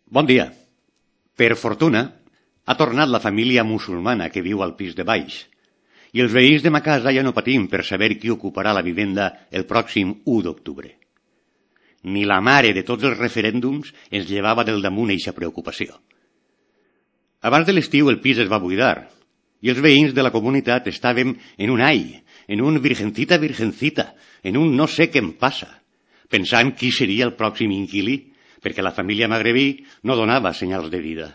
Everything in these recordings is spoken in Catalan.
Bon dia. Per fortuna, ha tornat la família musulmana que viu al pis de baix i els veïns de ma casa ja no patim per saber qui ocuparà la vivenda el pròxim 1 d'octubre. Ni la mare de tots els referèndums ens llevava del damunt eixa preocupació. Abans de l'estiu el pis es va buidar i els veïns de la comunitat estàvem en un ai, en un virgencita, en un no sé què em passa, pensant qui seria el pròxim inquilí, perquè la família magrebí no donava senyals de vida.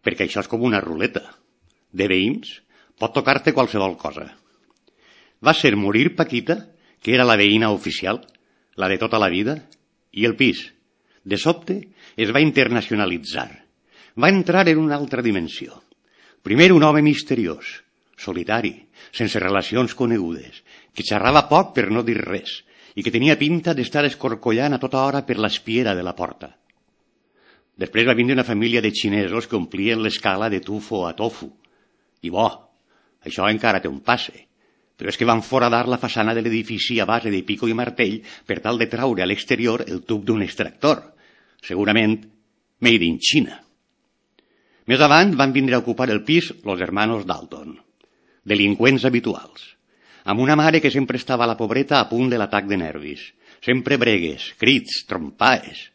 Perquè això és com una ruleta. De veïns pot tocar-te qualsevol cosa. Va ser morir Paquita, que era la veïna oficial, la de tota la vida, i el pis, de sobte, es va internacionalitzar. Va entrar en una altra dimensió. Primer un home misteriós, solitari, sense relacions conegudes, que xerrava poc per no dir res, i que tenia pinta d'estar escorcollant a tota hora per l'espiera de la porta. Després va vindre una família de xinesos que omplien l'escala de tufo a tofu. I bo, això encara té un passe, però és que van foradar la façana de l'edifici a base de pico i martell per tal de traure a l'exterior el tub d'un extractor, segurament made in China. Més avant van vindre a ocupar el pis los hermanos Dalton, delinqüents habituals, amb una mare que sempre estava a la pobreta a punt de l'atac de nervis, sempre bregues, crits, trompades.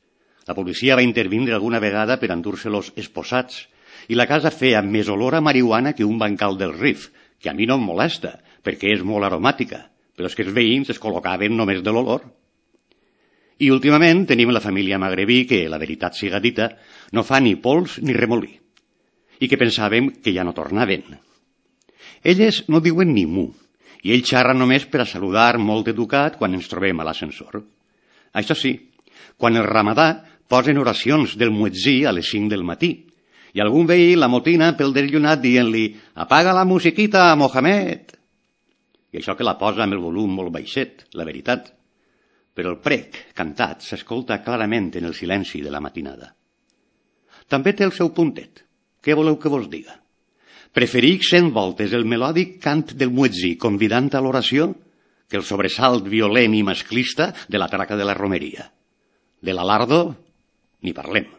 La policia va intervindre alguna vegada per endur-se-los esposats i la casa feia més olor a marihuana que un bancal del Rif, que a mi no em molesta, perquè és molt aromàtica, però és que els veïns es col·locaven només de l'olor. I últimament tenim la família magrebí que, la veritat siga dita, no fa ni pols ni remolí, i que pensàvem que ja no tornaven. Elles no diuen ni mu, i ell xerra només per a saludar molt educat quan ens trobem a l'ascensor. Això sí, quan el ramadà posen oracions del muetzí a les 5 del matí, i algun veí la motina pel desllunat dient-li «Apaga la musiquita, Mohamed!» I això que la posa amb el volum molt baixet, la veritat. Però el prec, cantat, s'escolta clarament en el silenci de la matinada. També té el seu puntet. Què voleu que vos diga? Preferic 100 voltes el melòdic cant del muetzí convidant a l'oració que el sobresalt violent i masclista de la traca de la romeria. De l'alardo, ni parlem.